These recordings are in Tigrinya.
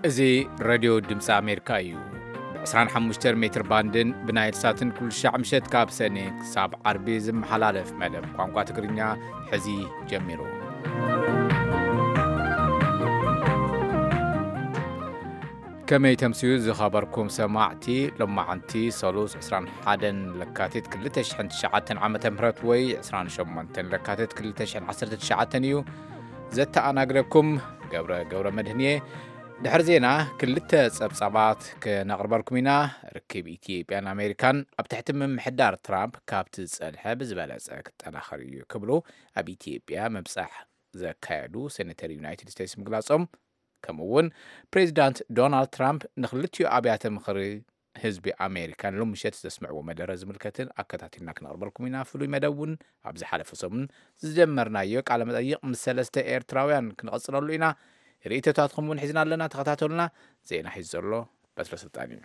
እዚ ሬድዮ ድምፂ ኣሜሪካ እዩ። ብ25 ሜትር ባንድን ብናይል ሳትን ኩሉ ሻዕ ምሸት ካብ ሰኔ ክሳብ ዓርቢ ዝመሓላለፍ መደብ ቋንቋ ትግርኛ ሕዚ ጀሚሩ። ከመይ ተምስዩ ዝኸበርኩም ሰማዕቲ፣ ሎማዓንቲ ሰሉስ 21 ለካቲት 2009 ዓመተ ምህረት ወይ 28 ለካቲት 2019 እዩ። ዘተኣናግደኩም ገብረ ገብረ መድህን እየ። ድሕሪ ዜና ክልተ ጸብጻባት ክነቕርበልኩም ኢና። ርክብ ኢትዮጵያን ኣሜሪካን ኣብ ትሕቲ ምምሕዳር ትራምፕ ካብቲ ዝጸንሐ ብዝበለጸ ክጠናኸር እዩ ክብሉ ኣብ ኢትዮጵያ ምብጻሕ ዘካየዱ ሴኔተር ዩናይትድ ስቴትስ ምግላጾም፣ ከምኡ እውን ፕሬዚዳንት ዶናልድ ትራምፕ ንክልቲኡ ኣብያተ ምኽሪ ህዝቢ ኣሜሪካ ንሎሚ ምሸት ዘስምዕዎ መደረ ዝምልከትን ኣከታቲልና ክነቕርበልኩም ኢና። ፍሉይ መደብ እውን ኣብ ዝሓለፈ ሰሙን ዝጀመርናዮ ቃለ መጠይቕ ምስ ሰለስተ ኤርትራውያን ክንቐጽለሉ ኢና። ርእይቶታትኩም እውን ሒዝና ኣለና። ተኸታተሉና። ዜና ሒዙ ዘሎ በትረ ስልጣን እዩ።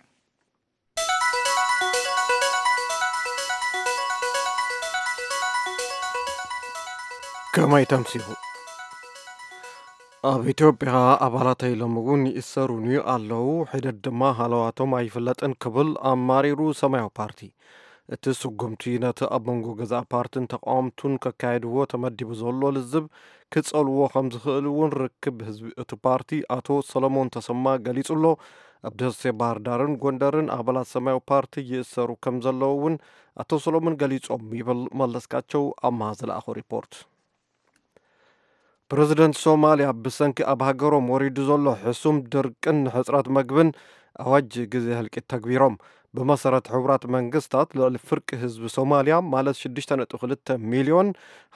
ከመይ ተምሲሉ? ኣብ ኢትዮጵያ ኣባላተይ ሎሚ እውን ይእሰሩኒ ኣለዉ፣ ሒደት ድማ ሃለዋቶም ኣይፍለጥን ክብል ኣማሪሩ ሰማያዊ ፓርቲ። እቲ ስጉምቲ ነቲ ኣብ መንጎ ገዛእ ፓርትን ተቃወምቱን ከካየድዎ ተመዲቡ ዘሎ ልዝብ ክጸልዎ ከም ዝኽእል እውን ርክብ ህዝቢ እቲ ፓርቲ ኣቶ ሰለሞን ተሰማ ገሊጹ ኣሎ። ኣብ ደሴ፣ ባህር ዳርን ጎንደርን ኣባላት ሰማያዊ ፓርቲ ይእሰሩ ከም ዘለዉ እውን ኣቶ ሰሎሞን ገሊጾም ይብል መለስካቸው ኣምሃ ዝለኣኾ ሪፖርት። ፕረዚደንት ሶማልያ ብሰንኪ ኣብ ሃገሮም ወሪዱ ዘሎ ሕሱም ድርቅን ሕጽረት መግብን ኣዋጅ ግዜ ህልቂት ተግቢሮም። ብመሰረት ሕቡራት መንግስታት፣ ልዕሊ ፍርቂ ህዝቢ ሶማልያ፣ ማለት 6.2 ሚልዮን፣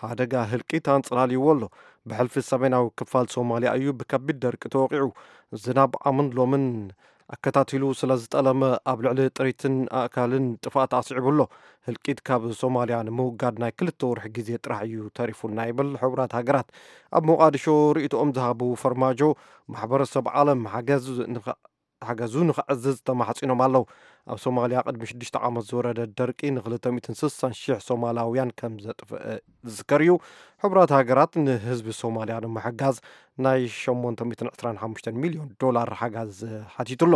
ሓደጋ ህልቂት ኣንጸላልይዎ ኣሎ። ብሕልፊ ሰሜናዊ ክፋል ሶማልያ እዩ ብከቢድ ደርቂ ተወቒዑ። ዝናብ ዓምን ሎምን ኣከታቲሉ ስለ ዝጠለመ፣ ኣብ ልዕሊ ጥሪትን ኣእካልን ጥፍኣት ኣስዒቡ ኣሎ። ህልቂት ካብ ሶማልያ ንምውጋድ ናይ ክልተ ወርሒ ግዜ ጥራሕ እዩ ተሪፉና ይብል ሕቡራት ሃገራት። ኣብ ሞቃዲሾ ርእይቶኦም ዝሃቡ ፈርማጆ፣ ማሕበረሰብ ዓለም ሓገዝ ንኸ-፣ ሓገዙ ንኸዕዝዝ ተማሕጺኖም ኣለዉ። ኣብ ሶማልያ ቅድሚ ሽዱሽተ ዓመት ዝወረደ ደርቂ ን260,000 ሶማላውያን ከም ዘጥፍአ ዝዝከር እዩ። ሕቡራት ሃገራት ንህዝቢ ሶማልያ ንምሕጋዝ ናይ 825 ሚልዮን ዶላር ሓጋዝ ሓቲቱ ኣሎ።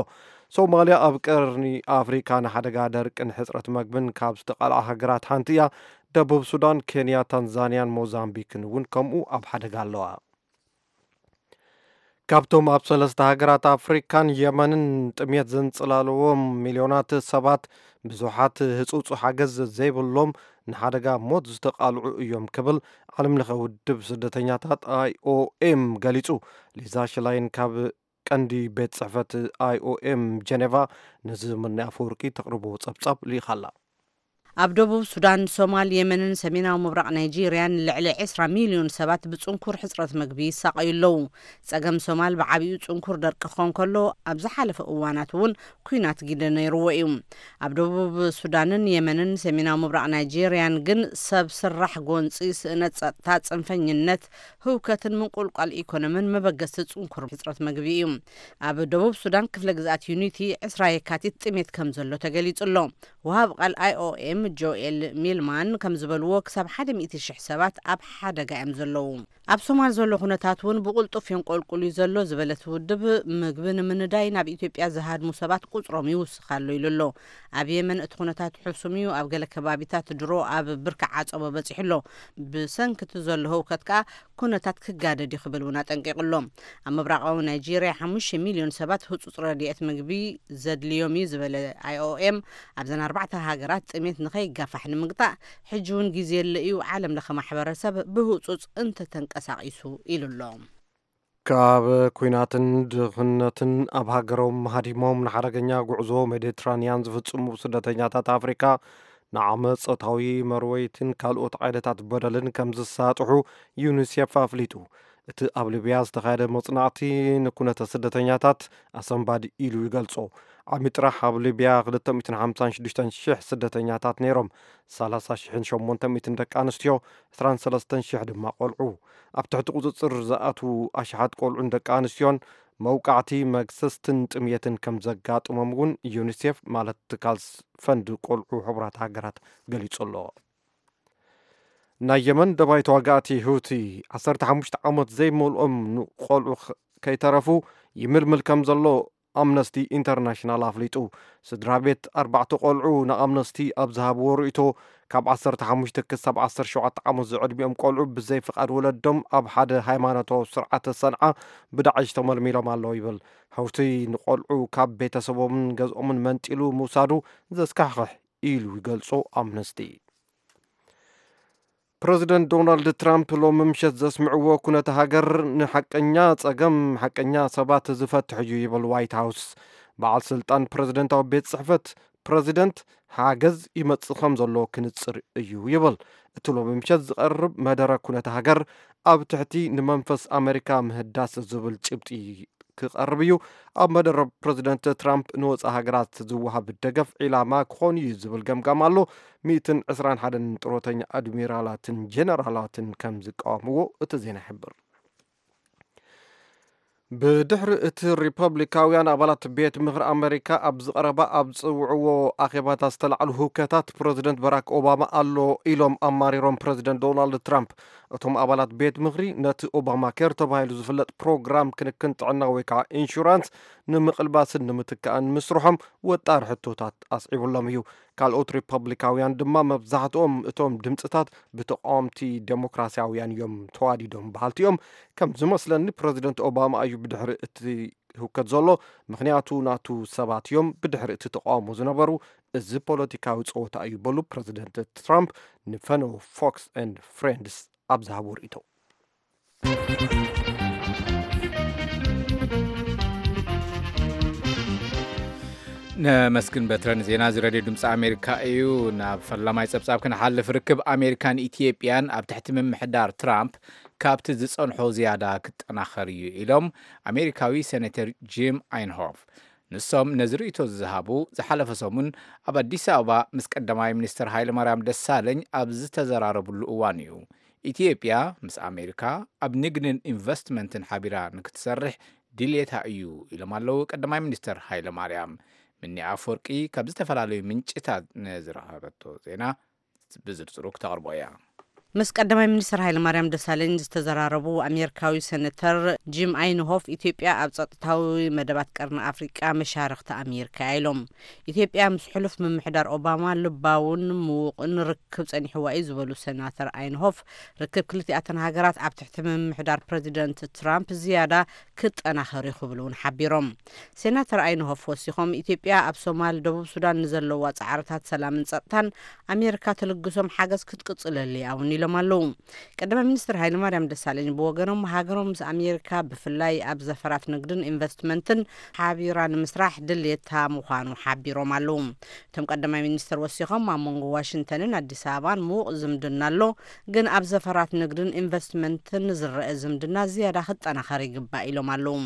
ሶማልያ ኣብ ቀርኒ ኣፍሪካ ንሓደጋ ደርቅን ሕጽረት መግብን ካብ ዝተቓልዓ ሃገራት ሓንቲ እያ። ደቡብ ሱዳን፣ ኬንያ፣ ታንዛንያን ሞዛምቢክን እውን ከምኡ ኣብ ሓደጋ ኣለዋ። ካብቶም ኣብ ሰለስተ ሃገራት ኣፍሪካን የመንን ጥሜት ዘንጸላለዎም ሚልዮናት ሰባት፣ ብዙሓት ህጹጹ ሓገዝ ዘይብሎም፣ ንሓደጋ ሞት ዝተቓልዑ እዮም ክብል ዓለም ለኸ ውድብ ስደተኛታት ኣይኦኤም ገሊጹ። ሊዛ ሽላይን ካብ ቀንዲ ቤት ጽሕፈት ኣይኦኤም ጀኔቫ ነዚ ምናይ ኣፈወርቂ ተቕርቦ ጸብጻብ ልኢኻላ። ኣብ ደቡብ ሱዳን፣ ሶማል፣ የመንን ሰሜናዊ ምብራቕ ናይጄርያን ልዕሊ 20 ሚልዮን ሰባት ብጽንኩር ሕጽረት መግቢ ይሳቐዩ ኣለዉ። ጸገም ሶማል ብዓቢኡ ጽንኩር ደርቂ ክኾን ከሎ፣ ኣብ ዝሓለፈ እዋናት እውን ኲናት ግደ ነይርዎ እዩ። ኣብ ደቡብ ሱዳንን የመንን ሰሜናዊ ምብራቕ ናይጄርያን ግን ሰብ ስራሕ ጎንጺ፣ ስእነት ጸጥታ፣ ጽንፈኝነት፣ ህውከትን ምንቁልቋል ኢኮኖምን መበገስቲ ጽንኩር ሕጽረት መግቢ እዩ። ኣብ ደቡብ ሱዳን ክፍለ ግዝኣት ዩኒቲ 20 የካቲት ጥሜት ከም ዘሎ ተገሊጹ ኣሎ። ወሃብ ቃል ኣይኦኤም ጆኤል ሚልማን ከም ዝበልዎ፣ ክሳብ 100,000 ሰባት ኣብ ሓደጋ እዮም ዘለዉ። ኣብ ሶማል ዘሎ ኩነታት እውን ብቕልጡፍ የንቆልቁል እዩ ዘሎ ዝበለት ውድብ፣ ምግቢ ንምንዳይ ናብ ኢትዮጵያ ዝሃድሙ ሰባት ቁጽሮም ይውስኽ ኣሎ ኢሉ ኣሎ። ኣብ የመን እቲ ኩነታት ሕሱም እዩ። ኣብ ገለ ከባቢታት ድሮ ኣብ ብርኪ ዓጸቦ በጺሑ ኣሎ። ብሰንኪ እቲ ዘሎ ህውከት ከኣ ኩነታት ክጋደድ እዩ ክብል እውን ኣጠንቂቑ ኣሎ። ኣብ ምብራቓዊ ናይጄርያ 5 ሚልዮን ሰባት ህጹጽ ረድኤት ምግቢ ዘድልዮም እዩ ዝበለ ኣይኦኤም፣ ኣብዘን ኣርባዕተ ሃገራት ጥሜት ንኸይጋፋሕ ንምግታእ ሕጂ እውን ግዜ የለ እዩ። ዓለም ለኸ ማሕበረሰብ ብህጹጽ እንተተንቀሳቒሱ ኢሉ ኣሎ። ካብ ኲናትን ድኽነትን ኣብ ሃገሮም ሃዲሞም ንሓደገኛ ጉዕዞ ሜዲትራንያን ዝፍጽሙ ስደተኛታት ኣፍሪካ ንዓመፅ፣ ጾታዊ መርወይትን ካልኦት ዓይነታት በደልን ከም ዝሳጥሑ ዩኒሴፍ ኣፍሊጡ። እቲ ኣብ ሊብያ ዝተኻየደ መጽናዕቲ ንኩነተ ስደተኛታት ኣሰንባዲ ኢሉ ይገልጾ። ዓሚ ጥራሕ ኣብ ሊብያ 256,000 ስደተኛታት ነይሮም። 30,800 ደቂ ኣንስትዮ፣ 23,000 ድማ ቆልዑ። ኣብ ትሕቲ ቁጽጽር ዝኣትዉ ኣሽሓት ቆልዑን ደቂ ኣንስትዮን መውቃዕቲ፣ መግሰስትን ጥምየትን ከም ዘጋጥሞም እውን ዩኒሴፍ፣ ማለት ትካል ፈንድ ቆልዑ ሕቡራት ሃገራት፣ ገሊጹ ኣሎ። ናይ የመን ደባይ ተዋጋእቲ ሁቲ 15 ዓመት ዘይመልኦም ንቆልዑ ኽ-፣ ከይተረፉ ይምልምል ከም ዘሎ ኣምነስቲ ኢንተርናሽናል ኣፍሊጡ። ስድራ ቤት ኣርባዕተ ቆልዑ ንኣምነስቲ ኣብ ዝሃብዎ ርእይቶ፣ ካብ ዓሰርተ ሓሙሽተ ክሳብ ዓሰርተ ሸውዓተ ዓመት ዝዕድሚኦም ቆልዑ ብዘይ ፍቓድ ወለዶም ኣብ ሓደ ሃይማኖታዊ ስርዓተ ሰንዓ ብዳዕሽ ተመልሚሎም ኣለዉ ይብል። ሀውቲ ንቆልዑ ካብ ቤተሰቦምን ገዝኦምን መንጢሉ ምውሳዱ ዘስካሕኽሕ ኢሉ ይገልጾ ኣምነስቲ። ፕረዚደንት ዶናልድ ትራምፕ ሎሚ ምሸት ዘስምዕዎ ኩነተ ሃገር ንሓቀኛ ጸገም ሓቀኛ ሰባት ዝፈትሕ እዩ ይብል ዋይት ሃውስ። በዓል ስልጣን ፕረዚደንታዊ ቤት ጽሕፈት ፕረዚደንት ሓገዝ ይመጽእ ከም ዘሎ ክንጽር እዩ ይብል። እቲ ሎሚ ምሸት ዝቐርብ መደረ ኩነተ ሃገር ኣብ ትሕቲ ንመንፈስ ኣሜሪካ ምህዳስ ዝብል ጭብጢ ክቐርብ እዩ። ኣብ መደረ ፕረዚደንት ትራምፕ ንወጻኢ ሃገራት ዝወሃብ ደገፍ ዒላማ ክኾን እዩ ዝብል ገምጋም ኣሎ። ሚእትን ዕስራን ሓደን ጥሮተኛ ኣድሚራላትን ጀነራላትን ከም ዝቃወምዎ እቲ ዜና ይሕብር። ብድሕሪ እቲ ሪፐብሊካውያን ኣባላት ቤት ምኽሪ ኣሜሪካ ኣብ ዝቐረባ ኣብ ዝጽውዕዎ ኣኼባታት ዝተላዕሉ ህውከታት ፕረዚደንት ባራክ ኦባማ ኣሎ ኢሎም ኣማሪሮም ፕረዚደንት ዶናልድ ትራምፕ። እቶም ኣባላት ቤት ምኽሪ ነቲ ኦባማ ኬር ተባሂሉ ዝፍለጥ ፕሮግራም ክንክን ጥዕና ወይ ከዓ ኢንሹራንስ ንምቕልባስን ንምትካእን ምስርሖም ወጣሪ ሕቶታት ኣስዒቡሎም እዩ። ካልኦት ሪፐብሊካውያን ድማ መብዛሕትኦም እቶም ድምፅታት ብተቃወምቲ ዴሞክራሲያውያን እዮም ተዋዲዶም በሃልቲ እዮም። ከም ዝመስለኒ ፕረዚደንት ኦባማ እዩ ብድሕሪ እቲ ህውከት ዘሎ፣ ምኽንያቱ ናቱ ሰባት እዮም ብድሕሪ እቲ ተቃውሞ ዝነበሩ። እዚ ፖለቲካዊ ፀወታ እዩ በሉ ፕረዚደንት ትራምፕ ንፈነው ፎክስ ኤንድ ፍሬንድስ ኣብ ዝሃቦ ርእይቶ። ነመስግን በትረን። ዜና እዚ ሬድዮ ድምፂ ኣሜሪካ እዩ። ናብ ፈላማይ ፀብፃብ ክንሓልፍ፣ ርክብ ኣሜሪካን ኢትዮጵያን ኣብ ትሕቲ ምምሕዳር ትራምፕ ካብቲ ዝፀንሖ ዝያዳ ክጠናኸር እዩ ኢሎም ኣሜሪካዊ ሴኔተር ጂም ኣይንሆፍ። ንሶም ነዚ ርእይቶ ዝሃቡ ዝሓለፈ ሰሙን ኣብ ኣዲስ ኣበባ ምስ ቀዳማይ ሚኒስትር ሃይለማርያም ደሳለኝ ኣብ ዝተዘራረብሉ እዋን እዩ። ኢትዮጵያ ምስ ኣሜሪካ ኣብ ንግድን ኢንቨስትመንትን ሓቢራ ንክትሰርሕ ድልየታ እዩ ኢሎም ኣለዉ ቀዳማይ ሚኒስትር ሃይለማርያም። ምኒ ኣፈወርቂ ካብ ዝተፈላለዩ ምንጭታት ንዝረኸበቶ ዜና ብዝርዝሩ ክተቕርቦ እያ። ምስ ቀዳማይ ሚኒስትር ሃይለማርያም ደሳለኝ ዝተዘራረቡ ኣሜሪካዊ ሴኔተር ጂም ኣይንሆፍ፣ ኢትዮጵያ ኣብ ጸጥታዊ መደባት ቀርኒ ኣፍሪቃ መሻርኽቲ ኣሜሪካ እያ ኢሎም። ኢትዮጵያ ምስ ሕሉፍ ምምሕዳር ኦባማ ልባውን ምዉቕን ርክብ ጸኒሕዋ እዩ ዝበሉ ሴናተር ኣይንሆፍ፣ ርክብ ክልቲኣተን ሃገራት ኣብ ትሕቲ ምምሕዳር ፕረዚደንት ትራምፕ ዝያዳ ክጠናኸር እዩ ክብሉ እውን ሓቢሮም። ሴናተር ኣይንሆፍ ወሲኾም፣ ኢትዮጵያ ኣብ ሶማል፣ ደቡብ ሱዳን ንዘለዋ ጻዕርታት ሰላምን ጸጥታን ኣሜሪካ ትልግሶም ሓገዝ ክትቅጽለሉ እያ እውን ኢሎም ኣለዉ። ቀዳማይ ሚኒስትር ሃይለማርያም ደሳለኝ ብወገኖም፣ ሃገሮም ምስ ኣሜሪካ ብፍላይ ኣብ ዘፈራት ንግድን ኢንቨስትመንትን ሓቢራ ንምስራሕ ድሌታ ምዃኑ ሓቢሮም ኣለዉ። እቶም ቀዳማይ ሚኒስትር ወሲኾም፣ ኣብ መንጎ ዋሽንግተንን ኣዲስ ኣበባን ምዉቕ ዝምድና ኣሎ፣ ግን ኣብ ዘፈራት ንግድን ኢንቨስትመንትን ዝረአ ዝምድና ዝያዳ ክጠናኸር ይግባእ ኢሎም ኣለዉ።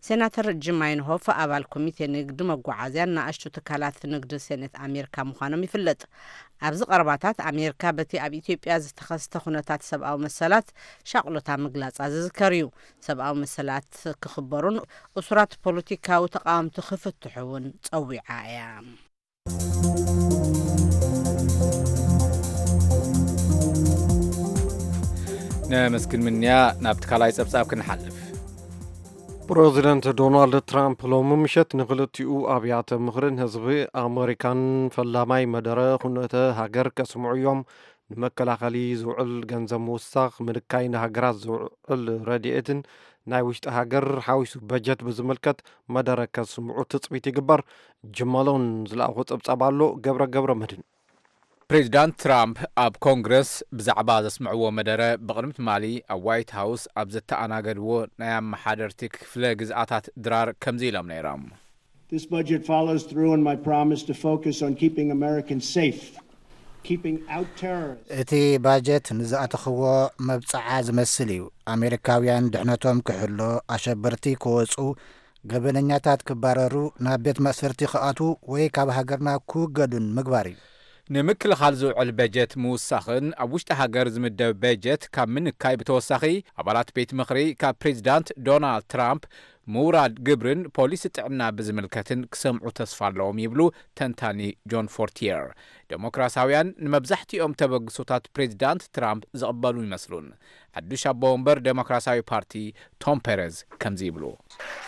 ሴናተር ጂም ኣይንሆፍ ኣባል ኮሚቴ ንግዲ መጓዓዝያን ንኣሽቱ ትካላት ንግዲ ሴኔት ኣሜሪካ ምዃኖም ይፍለጥ። ኣብዚ ቀረባታት ኣሜሪካ በቲ ኣብ ኢትዮጵያ ዝተኸስተ ኩነታት ሰብኣዊ መሰላት ሻቕሎታ ምግላጻ ዝዝከር እዩ። ሰብኣዊ መሰላት ክኽበሩን እሱራት ፖለቲካዊ ተቃወምቲ ክፍትሑ እውን ጸዊዓ እያ። ነመስግን ምንያ። ናብቲ ካልኣይ ጸብጻብ ክንሓልፍ። ፕረዚደንት ዶናልድ ትራምፕ ሎሚ ምሸት ንክልቲኡ ኣብያተ ምኽርን ህዝቢ ኣመሪካን ፈላማይ መደረ ኩነተ ሃገር ከስምዑ እዮም። ንመከላኸሊ ዝውዕል ገንዘብ ምውሳኽ፣ ምልካይ ንሃገራት ዝውዕል ረድኤትን ናይ ውሽጢ ሃገር ሓዊሱ በጀት ብዝምልከት መደረ ከስምዑ ትጽቢት ይግበር። ጅመሎን ዝለኣኹ ጸብጻብ ኣሎ። ገብረ ገብረ መድን። ፕሬዚዳንት ትራምፕ ኣብ ኮንግረስ ብዛዕባ ዘስምዕዎ መደረ፣ ብቕድሚ ትማሊ ኣብ ዋይት ሃውስ ኣብ ዘተኣናገድዎ ናይ ኣመሓደርቲ ክፍለ ግዝኣታት ድራር ከምዚ ኢሎም ነይሮም። This budget follows through on my promise to focus on keeping Americans safe, keeping out terrorists. እቲ ባጀት ንዝኣተኽዎ መብጽዓ ዝመስል እዩ። ኣሜሪካውያን ድሕነቶም ክሕሎ፣ ኣሸበርቲ ክወጹ፣ ገበነኛታት ክባረሩ፣ ናብ ቤት ማእሰርቲ ክኣትዉ ወይ ካብ ሃገርና ክውገዱን ምግባር እዩ። ንምክልኻል ዝውዕል በጀት ምውሳኽን ኣብ ውሽጢ ሃገር ዝምደብ በጀት ካብ ምንካይ ብተወሳኺ፣ ኣባላት ቤት ምኽሪ ካብ ፕሬዚዳንት ዶናልድ ትራምፕ ምውራድ ግብርን ፖሊሲ ጥዕና ብዝምልከትን ክሰምዑ ተስፋ ኣለዎም ይብሉ ተንታኒ ጆን ፎርቲየር። ዴሞክራሳውያን ንመብዛሕትኦም ተበግሶታት ፕሬዚዳንት ትራምፕ ዝቕበሉ ይመስሉን። ሓዱሽ ኣቦ ወንበር ዴሞክራሲያዊ ፓርቲ ቶም ፔረዝ ከምዚ ይብሉ።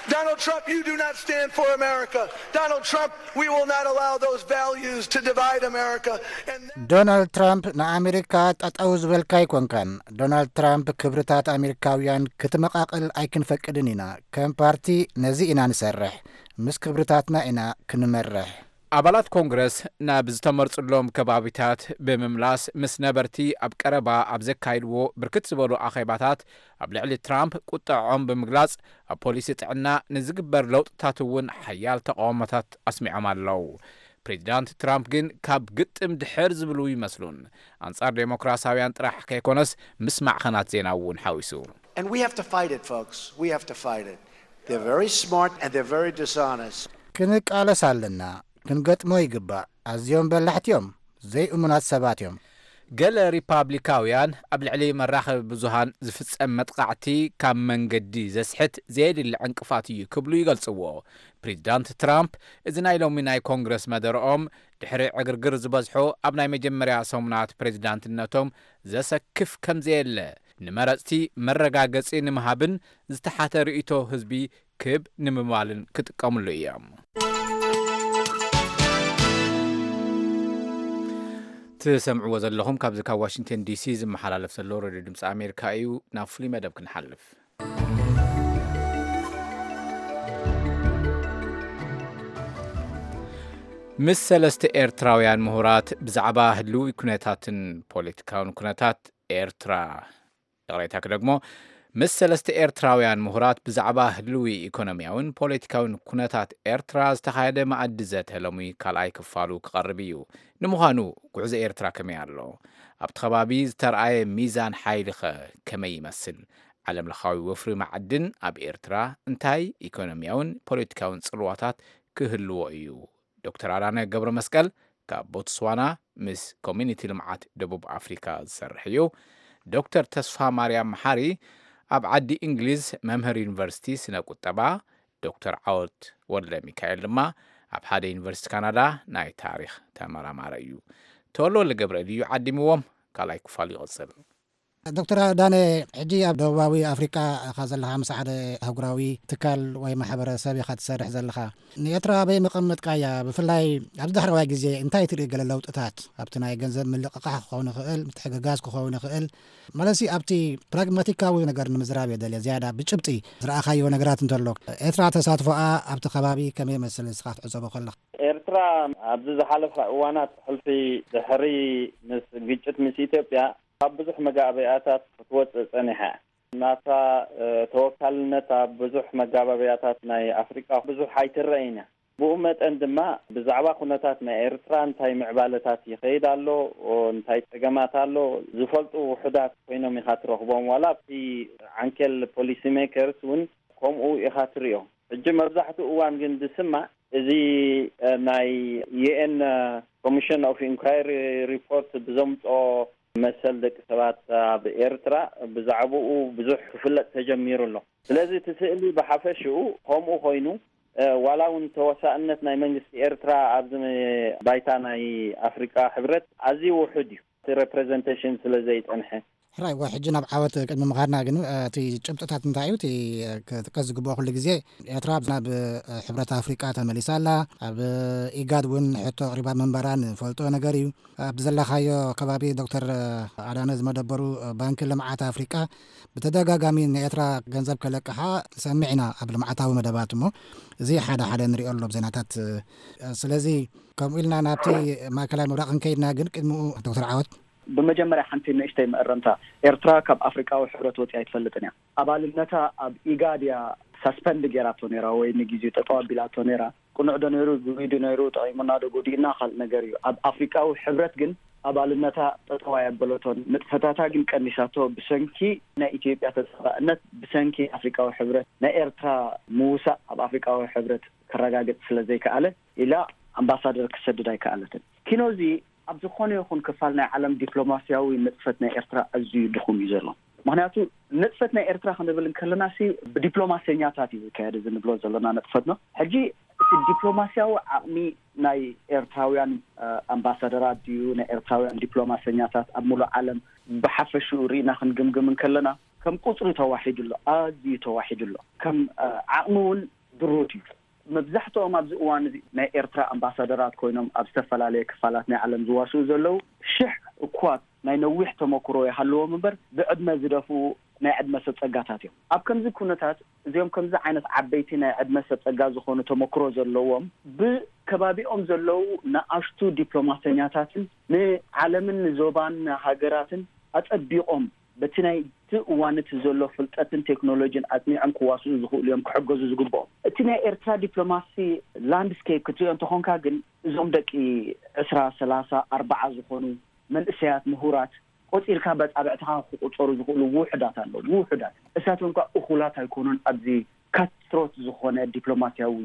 Donald Trump, you do not stand for America. Donald Trump, we will not allow those values to divide America. And ዶናልድ ትራምፕ ንኣሜሪካ ጠጠው ዝበልካ ኣይኮንካን። ዶናልድ ትራምፕ ክብርታት ኣሜሪካውያን ክትመቓቕል ኣይክንፈቅድን ኢና። ከም ፓርቲ ነዚ ኢና ንሰርሕ። ምስ ክብርታትና ኢና ክንመርሕ። ኣባላት ኮንግረስ ናብ ዝተመርጹሎም ከባቢታት ብምምላስ ምስ ነበርቲ ኣብ ቀረባ ኣብ ዘካይድዎ ብርክት ዝበሉ ኣኼባታት ኣብ ልዕሊ ትራምፕ ቁጥዖም ብምግላጽ ኣብ ፖሊሲ ጥዕና ንዝግበር ለውጥታት እውን ሓያል ተቃውሞታት ኣስሚዖም ኣለዉ። ፕሬዚዳንት ትራምፕ ግን ካብ ግጥም ድሕር ዝብሉ ይመስሉን። ኣንጻር ዴሞክራሲያውያን ጥራሕ ከይኮነስ ምስ ማዕኸናት ዜና እውን ሓዊሱ። And we have to fight it, folks. We have to fight it. They're very smart and they're very dishonest. ክንቃለስ ኣለና። ክንገጥሞ ይግባእ። ኣዝዮም በላሕቲ እዮም። ዘይእሙናት ሰባት እዮም። ገለ ሪፓብሊካውያን ኣብ ልዕሊ መራኸቢ ብዙሃን ዝፍጸም መጥቓዕቲ ካብ መንገዲ ዘስሕት ዘየድሊ ዕንቅፋት እዩ ክብሉ ይገልጽዎ። ፕሬዚዳንት ትራምፕ እዚ ናይ ሎሚ ናይ ኮንግረስ መደረኦም ድሕሪ ዕግርግር ዝበዝሖ ኣብ ናይ መጀመርያ ሰሙናት ፕሬዚዳንትነቶም ዘሰክፍ ከምዘየለ ንመረጽቲ መረጋገጺ ንምሃብን ዝተሓተ ርእይቶ ህዝቢ ክብ ንምባልን ክጥቀምሉ እዮም። ትሰምዕዎ ዘለኹም ካብዚ ካብ ዋሽንግተን ዲሲ ዝመሓላለፍ ዘሎ ሬድዮ ድምፂ ኣሜሪካ እዩ። ናብ ፍሉይ መደብ ክንሓልፍ። ምስ ሰለስተ ኤርትራውያን ምሁራት ብዛዕባ ህልዊ ኩነታትን ፖለቲካውን ኩነታት ኤርትራ ይቕሬታ ክደግሞ፣ ምስ ሰለስተ ኤርትራውያን ምሁራት ብዛዕባ ህልዊ ኢኮኖሚያውን ፖለቲካውን ኩነታት ኤርትራ ዝተኻየደ መኣዲ ዘተ ሎሚ ካልኣይ ክፋሉ ክቐርብ እዩ። ንምዃኑ ጉዕዞ ኤርትራ ከመይ ኣሎ? ኣብቲ ከባቢ ዝተርኣየ ሚዛን ሓይሊ ኸ ከመይ ይመስል? ዓለምለኻዊ ወፍሪ መዓድን ኣብ ኤርትራ እንታይ ኢኮኖሚያውን ፖለቲካውን ጽልዋታት ክህልዎ እዩ? ዶክተር ኣዳነ ገብረ መስቀል ካብ ቦትስዋና ምስ ኮሚኒቲ ልምዓት ደቡብ ኣፍሪካ ዝሰርሕ እዩ። ዶክተር ተስፋ ማርያም መሓሪ ኣብ ዓዲ እንግሊዝ መምህር ዩኒቨርሲቲ ስነ ቁጠባ፣ ዶክተር ዓወት ወልደ ሚካኤል ድማ ኣብ ሓደ ዩኒቨርሲቲ ካናዳ ናይ ታሪኽ ተመራማረ እዩ። ተወልደ ወልደ ገብርኤል እዩ ዓዲምዎም። ካልኣይ ክፋል ይቕጽል። ዶክተር ዳነ፣ ሕጂ ኣብ ደቡባዊ ኣፍሪቃ ኢኻ ዘለኻ፣ ምስ ሓደ ኣህጉራዊ ትካል ወይ ማሕበረሰብ ኢኻ ትሰርሕ ዘለኻ። ንኤርትራ ኣበይ መቐመጥካያ? ብፍላይ ኣብዚ ዳሕረዋይ ግዜ እንታይ ትርኢ? ገለ ለውጥታት ኣብቲ ናይ ገንዘብ ምልቕቓሕ ክኸውን ይኽእል፣ ምትሕግጋዝ ክኸውን ይኽእል። ማለትሲ ኣብቲ ፕራግማቲካዊ ነገር ንምዝራብ እየ ደልየ፣ ዝያዳ ብጭብጢ ዝረኣኻዮ ነገራት እንተሎ። ኤርትራ ተሳትፎኣ ኣብቲ ከባቢ ከመይ ይመስል ንስኻ ክትዕዘቦ ከለኻ? ኤርትራ ኣብዚ ዝሓለፋ እዋናት ሕልፊ ድሕሪ ምስ ግጭት ምስ ኢትዮጵያ ካብ ብዙሕ መጋበያታት ክትወፅእ ፀኒሓ እያ። ናታ ተወካልነት ኣብ ብዙሕ መጋበያታት ናይ ኣፍሪቃ ብዙሕ ኣይትረእን እያ። ብኡ መጠን ድማ ብዛዕባ ኩነታት ናይ ኤርትራ እንታይ ምዕባለታት ይኸይድ ኣሎ፣ እንታይ ጸገማት ኣሎ ዝፈልጡ ውሑዳት ኮይኖም ኢኻ ትረኽቦም። ዋላ ኣብቲ ዓንኬል ፖሊሲ ሜከርስ እውን ከምኡ ኢኻ ትሪኦ። ሕጂ መብዛሕትኡ እዋን ግን ዝስማዕ እዚ ናይ ዩኤን ኮሚሽን ኦፍ ኢንኳይሪ ሪፖርት ብዘምፅኦ መሰል ደቂ ሰባት ኣብ ኤርትራ ብዛዕባኡ ብዙሕ ክፍለጥ ተጀሚሩ ኣሎ። ስለዚ እቲ ስእሊ ብሓፈሽኡ ከምኡ ኮይኑ፣ ዋላ እውን ተወሳእነት ናይ መንግስቲ ኤርትራ ኣብዚ ባይታ ናይ ኣፍሪቃ ሕብረት ኣዝዩ ውሑድ እዩ፣ እቲ ሬፕሬዘንቴሽን ስለ ዘይጸንሐ። ሕራይ፣ ሕጂ ናብ ዓወት ቅድሚ ምኻድና ግን፣ እቲ ጭብጥታት እንታይ እዩ? እቲ ክጥቀስ ዝግብኦ ኩሉ ግዜ ኤርትራ ናብ ሕብረት ኣፍሪቃ ተመሊሳ ኣላ። ኣብ ኢጋድ እውን ሕቶ ኣቕሪባ ምንባራ ንፈልጦ ነገር እዩ። ኣብ ዘለኻዮ ከባቢ ዶክተር ኣዳነ ዝመደበሩ ባንኪ ልምዓት ኣፍሪቃ ብተደጋጋሚ ንኤርትራ ገንዘብ ከለቅሓ ንሰምዕ ኢና ኣብ ልምዓታዊ መደባት። እሞ እዚ ሓደ ሓደ ንሪኦ ኣሎ ኣብ ዜናታት። ስለዚ ከምኡ ኢልና ናብቲ ማእከላይ ምብራቕ ክንከይድና ግን ቅድሚኡ ዶክተር ዓወት። ብመጀመርያ ሓንቲ ንእሽተይ መእረምታ፣ ኤርትራ ካብ ኣፍሪቃዊ ሕብረት ወፂኣ ኣይትፈልጥን እያ። ኣባልነታ ኣብ ኢጋድ እያ ሳስፐንድ ጌራቶ ነይራ ወይ ንግዜኡ ጠጠው ኣቢላቶ ነይራ። ቅኑዕ ዶ ነይሩ፣ ግጉይ ዶ ነይሩ፣ ጠቒሙና ዶ ጎዲኡና ካልእ ነገር እዩ። ኣብ ኣፍሪቃዊ ሕብረት ግን ኣባልነታ ጠጠው ኣየበለቶን፣ ንጥፈታታ ግን ቀኒሳቶ። ብሰንኪ ናይ ኢትዮጵያ ተጻባእነት፣ ብሰንኪ ኣፍሪቃዊ ሕብረት ናይ ኤርትራ ምውሳእ ኣብ ኣፍሪቃዊ ሕብረት ከረጋግጽ ስለ ዘይከኣለ ኢላ ኣምባሳደር ክሰድድ ኣይከኣለትን። ኪኖዚ ኣብ ዝኾነ ይኹን ክፋል ናይ ዓለም ዲፕሎማስያዊ ንጥፈት ናይ ኤርትራ ኣዝዩ ድኹም እዩ ዘሎ። ምኽንያቱ ንጥፈት ናይ ኤርትራ ክንብል እንከለና ሲ ብዲፕሎማሰኛታት እዩ ዝካየድ እዚ ንብሎ ዘለና ንጥፈት ነው። ሕጂ እቲ እቲ ዲፕሎማስያዊ ዓቕሚ ናይ ኤርትራውያን ኣምባሳደራት ድዩ፣ ናይ ኤርትራውያን ዲፕሎማሰኛታት ኣብ ሙሉእ ዓለም ብሓፈሽኡ ርኢና ክንግምግም እንከለና፣ ከም ቁፅሪ ተዋሒዱ ኣሎ፣ ኣዝዩ ተዋሒዱ ኣሎ። ከም ዓቕሚ እውን ድሩት እዩ። መብዛሕትኦም ኣብዚ እዋን እዚ ናይ ኤርትራ ኣምባሳደራት ኮይኖም ኣብ ዝተፈላለየ ክፋላት ናይ ዓለም ዝዋስኡ ዘለዉ ሽሕ እኳ ናይ ነዊሕ ተመክሮ ይሃልዎም እምበር፣ ብዕድመ ዝደፍኡ ናይ ዕድመ ሰብ ጸጋታት እዮም። ኣብ ከምዚ ኩነታት፣ እዚኦም ከምዚ ዓይነት ዓበይቲ ናይ ዕድመ ሰብ ጸጋ ዝኾኑ ተመክሮ ዘለዎም፣ ብከባቢኦም ዘለዉ ንኣሽቱ ዲፕሎማሰኛታትን ንዓለምን ንዞባን ሃገራትን ኣጸቢቖም በቲ ናይቲ እዋን እቲ ዘሎ ፍልጠትን ቴክኖሎጂን ኣጽኒዖም ክዋስኡ ዝኽእሉ እዮም ክሕገዙ ዝግብኦም። እቲ ናይ ኤርትራ ዲፕሎማሲ ላንድስኬፕ ክትሪኦ እንተኾንካ ግን፣ እዞም ደቂ ዕስራ፣ ሰላሳ፣ ኣርባዓ ዝኾኑ መንእሰያት ምሁራት ቆጺርካ በጻብዕትኻ ክቁጸሩ ዝኽእሉ ውሑዳት ኣለዉ። ውሑዳት። እሳቶም ከኣ እኹላት ኣይኮኑን ኣብዚ ካትሮት ዝኾነ ዲፕሎማስያዊ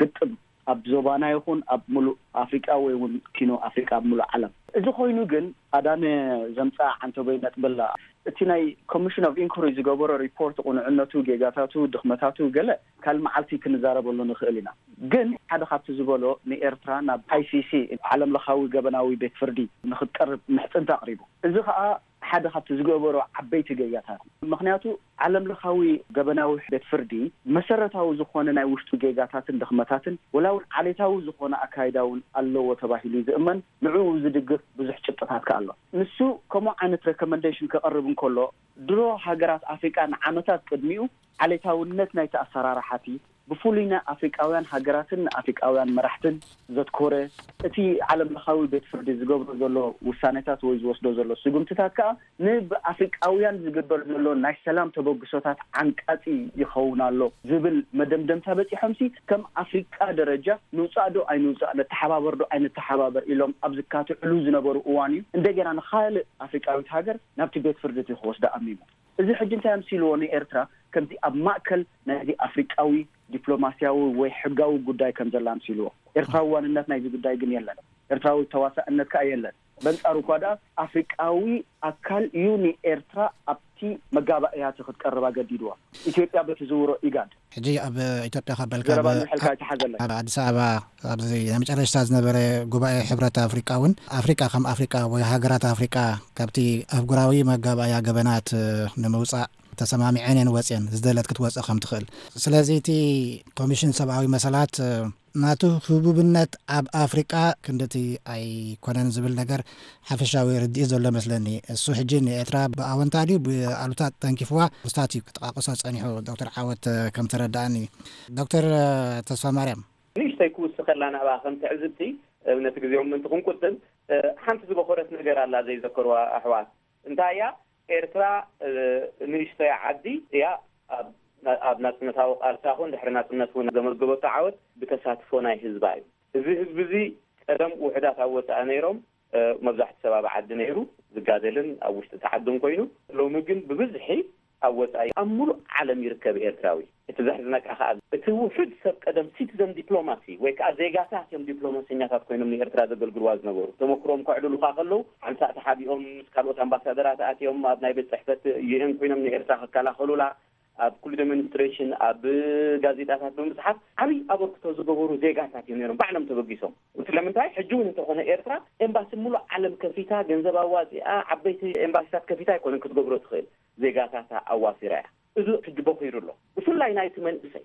ግጥም ኣብ ዞባና ይኹን ኣብ ምሉእ ኣፍሪቃ ወይ እውን ኪኖ ኣፍሪቃ ኣብ ምሉእ ዓለም። እዚ ኮይኑ ግን ኣዳነ ዘምጽኣ ዓንተቦይ ነጥቢ ኣላ። እቲ ናይ ኮሚሽን ኦፍ ኢንኩሪ ዝገበሮ ሪፖርት፣ ቁኑዕነቱ፣ ጌጋታቱ፣ ድኽመታቱ ገለ ካልእ መዓልቲ ክንዛረበሉ ንኽእል ኢና። ግን ሓደ ካብቲ ዝበሎ ንኤርትራ ናብ ኣይ ሲ ሲ፣ ዓለም ለኻዊ ገበናዊ ቤት ፍርዲ ንኽትቀርብ ምሕጽንታ ኣቕሪቡ። እዚ ኸኣ ሓደ ካብቲ ዝገበሮ ዓበይቲ ጌጋታት። ምኽንያቱ ዓለም ለኻዊ ገበናዊ ቤት ፍርዲ መሰረታዊ ዝኾነ ናይ ውሽጡ ጌጋታትን ድኽመታትን፣ ወላ እውን ዓሌታዊ ዝኾነ ኣካይዳ እውን ኣለዎ ተባሂሉ እዩ ዝእመን። ንዕኡ ዝድግፍ ብዙሕ ጭብጥታት ከኣ ኣሎ። ንሱ ከምኡ ዓይነት ሬኮመንዴሽን ከቕርብ እንከሎ፣ ድሮ ሃገራት ኣፍሪቃ ንዓመታት ቅድሚኡ ዓሌታውነት ናይቲ ኣሰራርሓቲ ብፍሉይ ንኣፍሪቃውያን ሃገራትን ንኣፍሪቃውያን መራሕትን ዘትኮረ፣ እቲ ዓለም ለኻዊ ቤት ፍርዲ ዝገብሮ ዘሎ ውሳኔታት ወይ ዝወስዶ ዘሎ ስጉምትታት ከኣ ንብኣፍሪቃውያን ዝግበር ዘሎ ናይ ሰላም ተበግሶታት ዓንቃጺ ይኸውን ኣሎ ዝብል መደምደምታ በጺሖምሲ፣ ከም ኣፍሪቃ ደረጃ ንውጻእ ዶ ኣይንውጻእ፣ ነተሓባበር ዶ ኣይንተሓባበር ኢሎም ኣብ ዝካትዕሉ ዝነበሩ እዋን እዩ እንደገና ንኻልእ ኣፍሪቃዊት ሃገር ናብቲ ቤት ፍርዲ እቲ ክወስዳ ኣሚሙ። እዚ ሕጂ እንታይ ኣምሲልዎ ንኤርትራ? ከምዚ ኣብ ማእከል ናይዚ ኣፍሪቃዊ ዲፕሎማስያዊ ወይ ሕጋዊ ጉዳይ ከም ዘላ ኣምሲልዎ። ኤርትራዊ ዋንነት ናይዚ ጉዳይ ግን የለን። ኤርትራዊ ተዋሳእነት ከኣ የለን። በንጻሩ እኳ ደኣ ኣፍሪቃዊ ኣካል እዩ ንኤርትራ ኣብቲ መጋባእያቲ ክትቀርብ ኣገዲድዋ። ኢትዮጵያ በቲ ዝውሮ ኢጋድ። ሕጂ ኣብ ኢትዮጵያ ካብ በልካ ዘረባ ኣብ፣ ንውሕልካ ኣይተሓዘለን። ኣብ ኣዲስ ኣበባ ኣብዚ ናይ መጨረሽታ ዝነበረ ጉባኤ ሕብረት ኣፍሪቃ እውን ኣፍሪቃ ከም ኣፍሪቃ ወይ ሃገራት ኣፍሪቃ ካብቲ ኣህጉራዊ መጋባእያ ገበናት ንምውጻእ ተሰማሚዐን እየን ወፅየን፣ ዝደለት ክትወፅእ ከም ትኽእል። ስለዚ እቲ ኮሚሽን ሰብኣዊ መሰላት ናቱ ህቡብነት ኣብ ኣፍሪቃ ክንድቲ ኣይኮነን ዝብል ነገር ሓፈሻዊ ርድኢት ዘሎ መስለኒ። እሱ ሕጂ ንኤርትራ ብኣወንታ ድዩ ብኣሉታ ተንኪፍዋ? ምስታት እዩ ክጠቃቅሶ ጸኒሑ ዶክተር ዓወት ከም ተረዳእኒ። ዶክተር ተስፋ ማርያም። ንእሽተይ ክውስኸላ ናብኣ ከም ትዕዝብቲ፣ ነቲ ግዜኦም ምእንቲ ክንቁጥብ፣ ሓንቲ ዝበኾረት ነገር ኣላ ዘይዘከርዋ ኣሕዋት። እንታይ እያ? ኤርትራ ንእሽተይ ዓዲ እያ። ኣብ ናጽነታዊ ቃልሳ ኹን ድሕሪ ናጽነት እውን ዘመዝገበቶ ዓወት ብተሳትፎ ናይ ህዝባ እዩ። እዚ ህዝቢ እዚ ቀደም ውሕዳት ኣብ ወጻኢ ነይሮም፣ መብዛሕቲ ሰብ ኣብ ዓዲ ነይሩ ዝጋደልን ኣብ ውሽጢ እቲ ዓድን ኮይኑ፣ ሎሚ ግን ብብዝሒ ኣብ ወጻኢ ኣብ ሙሉእ ዓለም ይርከብ ኤርትራዊ። እቲ ዘሕዝነካ ከኣ እቲ ውሑድ ሰብ ቀደም ሲቲዘን ዲፕሎማሲ ወይ ከኣ ዜጋታት እዮም ዲፕሎማሰኛታት ኮይኖም ንኤርትራ ዘገልግልዋ ዝነበሩ። ተመክሮም ከዕልሉኻ ከለዉ ሓንሳእ ተሓቢኦም ምስ ካልኦት ኣምባሳደራት ኣትዮም ኣብ ናይ ቤት ጽሕፈት ዩ ኤን ኮይኖም ንኤርትራ ክከላኸሉላ ኣብ ኩሉ ዴሞንስትሬሽን ኣብ ጋዜጣታት ብምጽሓፍ ዓብዪ ኣበርክቶ ዝገበሩ ዜጋታት እዮም ነይሮም ባዕሎም ተበጊሶም። ስለምንታይ ሕጂ እውን እንተኾነ ኤርትራ ኤምባሲ ሙሉእ ዓለም ከፊታ ገንዘብ ኣዋፂኣ ዓበይቲ ኤምባሲታት ከፊታ ኣይኮነን ክትገብሮ ትኽእል። ዜጋታታ ኣዋፊራ እያ። እዚ ሕጂ በኺሩ ኣሎ። ብፍላይ ናይቲ መንእሰይ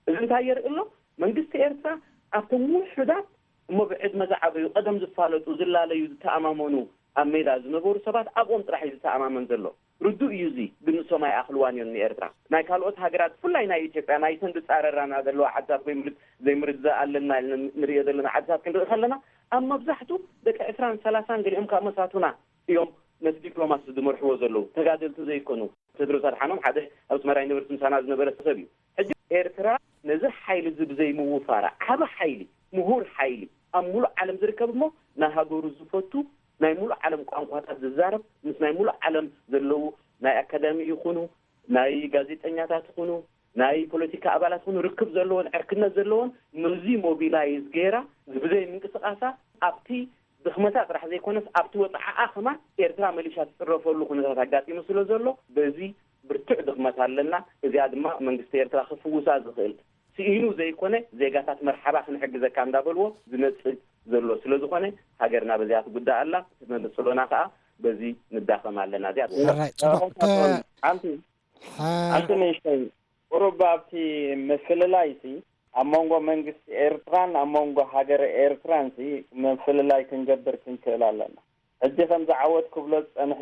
እዚ እንታይ የርኢ ኣሎ? መንግስቲ ኤርትራ ኣብቶም ውሑዳት እሞ ብዕድመ ዝዓበዩ ቀደም ዝፋለጡ ዝላለዩ ዝተኣማመኑ ኣብ ሜዳ ዝነበሩ ሰባት ኣብኦም ጥራሕ እዩ ዝተኣማመን ዘሎ። ርዱእ እዩ እዚ፣ ግን ንሶም ኣይኣኽልዋን እዮም ንኤርትራ። ናይ ካልኦት ሃገራት ብፍላይ ናይ ኢትዮጵያ ናይተን ዝጻረራና ዘለዋ ዓድታት ወይ ምርድ ዘይምርድዳእ ኣለና ኢልና ንሪኦ ዘለና ዓድታት ክንርኢ ከለና ኣብ መብዛሕቱ ደቂ ዕስራን ሰላሳን ገሊኦም ካብ መሳቱና እዮም ነቲ ዲፕሎማሲ ዝመርሕዎ ዘለዉ ተጋደልቲ ዘይኮኑ። ቴድሮስ ኣድሓኖም ሓደ ኣብ ኣስመራ ዩኒቨርሲቲ ምሳና ዝነበረ ሰብ እዩ። ሕጂ ኤርትራ ነዚ ሓይሊ እዚ ብዘይምውፋራ ዓቢ ሓይሊ ምሁር ሓይሊ ኣብ ሙሉእ ዓለም ዝርከብ እሞ ናይ ሃገሩ ዝፈቱ ናይ ሙሉእ ዓለም ቋንቋታት ዝዛረብ ምስ ናይ ሙሉእ ዓለም ዘለዉ ናይ ኣካዳሚ ይኹኑ ናይ ጋዜጠኛታት ይኹኑ ናይ ፖለቲካ ኣባላት ይኹኑ ርክብ ዘለዎን ዕርክነት ዘለዎን ነዚ ሞቢላይዝ ገይራ ብዘይ ምንቅስቃሳ ኣብቲ ድኽመታ ጥራሕ ዘይኮነስ ኣብቲ ወፅዓኣ ከማን ኤርትራ መሊሻ ትፅረፈሉ ኩነታት ኣጋጢሙ ስለ ዘሎ በዚ ብርቱዕ ድኽመት ኣለና። እዚኣ ድማ መንግስቲ ኤርትራ ክፍውሳ ዝኽእል ስኢኑ ዘይኮነ ዜጋታት መርሓባ ክንሕግዘካ እንዳበልዎ ዝነጽግ ዘሎ ስለ ዝኾነ፣ ሃገርና በዚኣ ትጉዳእ ኣላ። እቲ መበጸሎና ከኣ በዚ ንዳኸም ኣለና። እዚኣ ሕራይ፣ ጽቡቕ። ሓንቲ ሓንቲ ንእሽተይ ቁሩብ ኣብቲ ምፍልላይሲ ኣብ መንጎ መንግስቲ ኤርትራን ኣብ መንጎ ሃገረ ኤርትራንሲ ምፍልላይ ክንገብር ክንክእል ኣለና። ሕጂ ከምዚ ዓወት ክብሎ ዝጸንሐ፣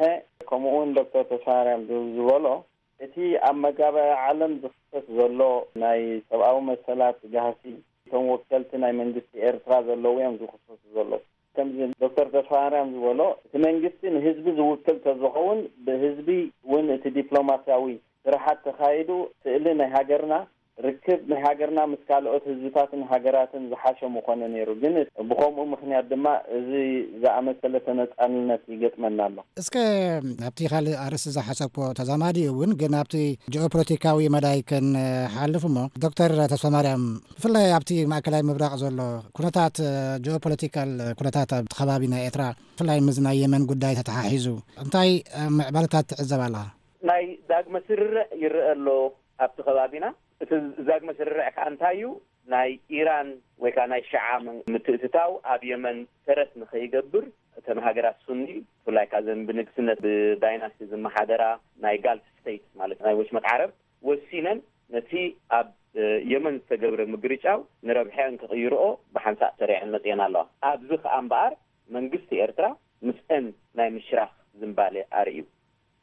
ከምኡ እውን ዶክተር ተስፋማርያም ዝበሎ፣ እቲ ኣብ መጋባእያ ዓለም ዝኽሰት ዘሎ ናይ ሰብኣዊ መሰላት ጋህሲ፣ እቶም ወከልቲ ናይ መንግስቲ ኤርትራ ዘለዉ እዮም ዝኽሰሱ ዘለዉ። ከምዚ ዶክተር ተስፋማርያም ዝበሎ፣ እቲ መንግስቲ ንህዝቢ ዝውክል ተዝኸውን፣ ብህዝቢ እውን እቲ ዲፕሎማስያዊ ስራሓት ተኻይዱ፣ ስእሊ ናይ ሃገርና፣ ርክብ ናይ ሃገርና ምስ ካልኦት ህዝብታትን ሃገራትን ዝሓሸ ምኾነ ነይሩ። ግን ብኸምኡ ምኽንያት ድማ እዚ ዝኣመሰለ ተነጻልነት ይገጥመና ኣሎ። እስከ ኣብቲ ካልእ ኣርእስቲ ዝሓሰብኩዎ ተዛማዲ እውን፣ ግን ኣብቲ ጂኦፖለቲካዊ መዳይ ክንሓልፍ እሞ፣ ዶክተር ተስፋማርያም፣ ብፍላይ ኣብቲ ማእከላይ ምብራቕ ዘሎ ኩነታት፣ ጂኦፖለቲካል ኩነታት ኣብቲ ከባቢ ናይ ኤርትራ፣ ብፍላይ ምስ ናይ የመን ጉዳይ ተተሓሒዙ እንታይ ምዕባለታት ትዕዘብ ኣለኻ? ናይ ዳግመ ስርርዕ ይረአ ኣሎ ኣብቲ ከባቢና። እቲ ዳግመ ስርርዕ ከኣ እንታይ እዩ? ናይ ኢራን ወይ ከኣ ናይ ሽዓ ምን-፣ ምትእትታው ኣብ የመን ተረት ንኸይገብር፣ እተን ሃገራት ሱኒ፣ ብፍላይ ከኣ እዘን ብንግስነት፣ ብዳይናስቲ ዝመሓደራ ናይ ጋልፍ ስቴትስ፣ ማለት ናይ ወሽመጥ ዓረብ፣ ወሲነን ነቲ ኣብ፣ እ፣ የመን ዝተገብረ ምግርጫው ንረብሐአን ክቕይርኦ ብሓንሳእ ሰሪዐን መጺአን ኣለዋ። ኣብዚ ከኣ እምበኣር መንግስቲ ኤርትራ ምስአን ናይ ምሽራኽ ዝንባሌ ኣርእዩ።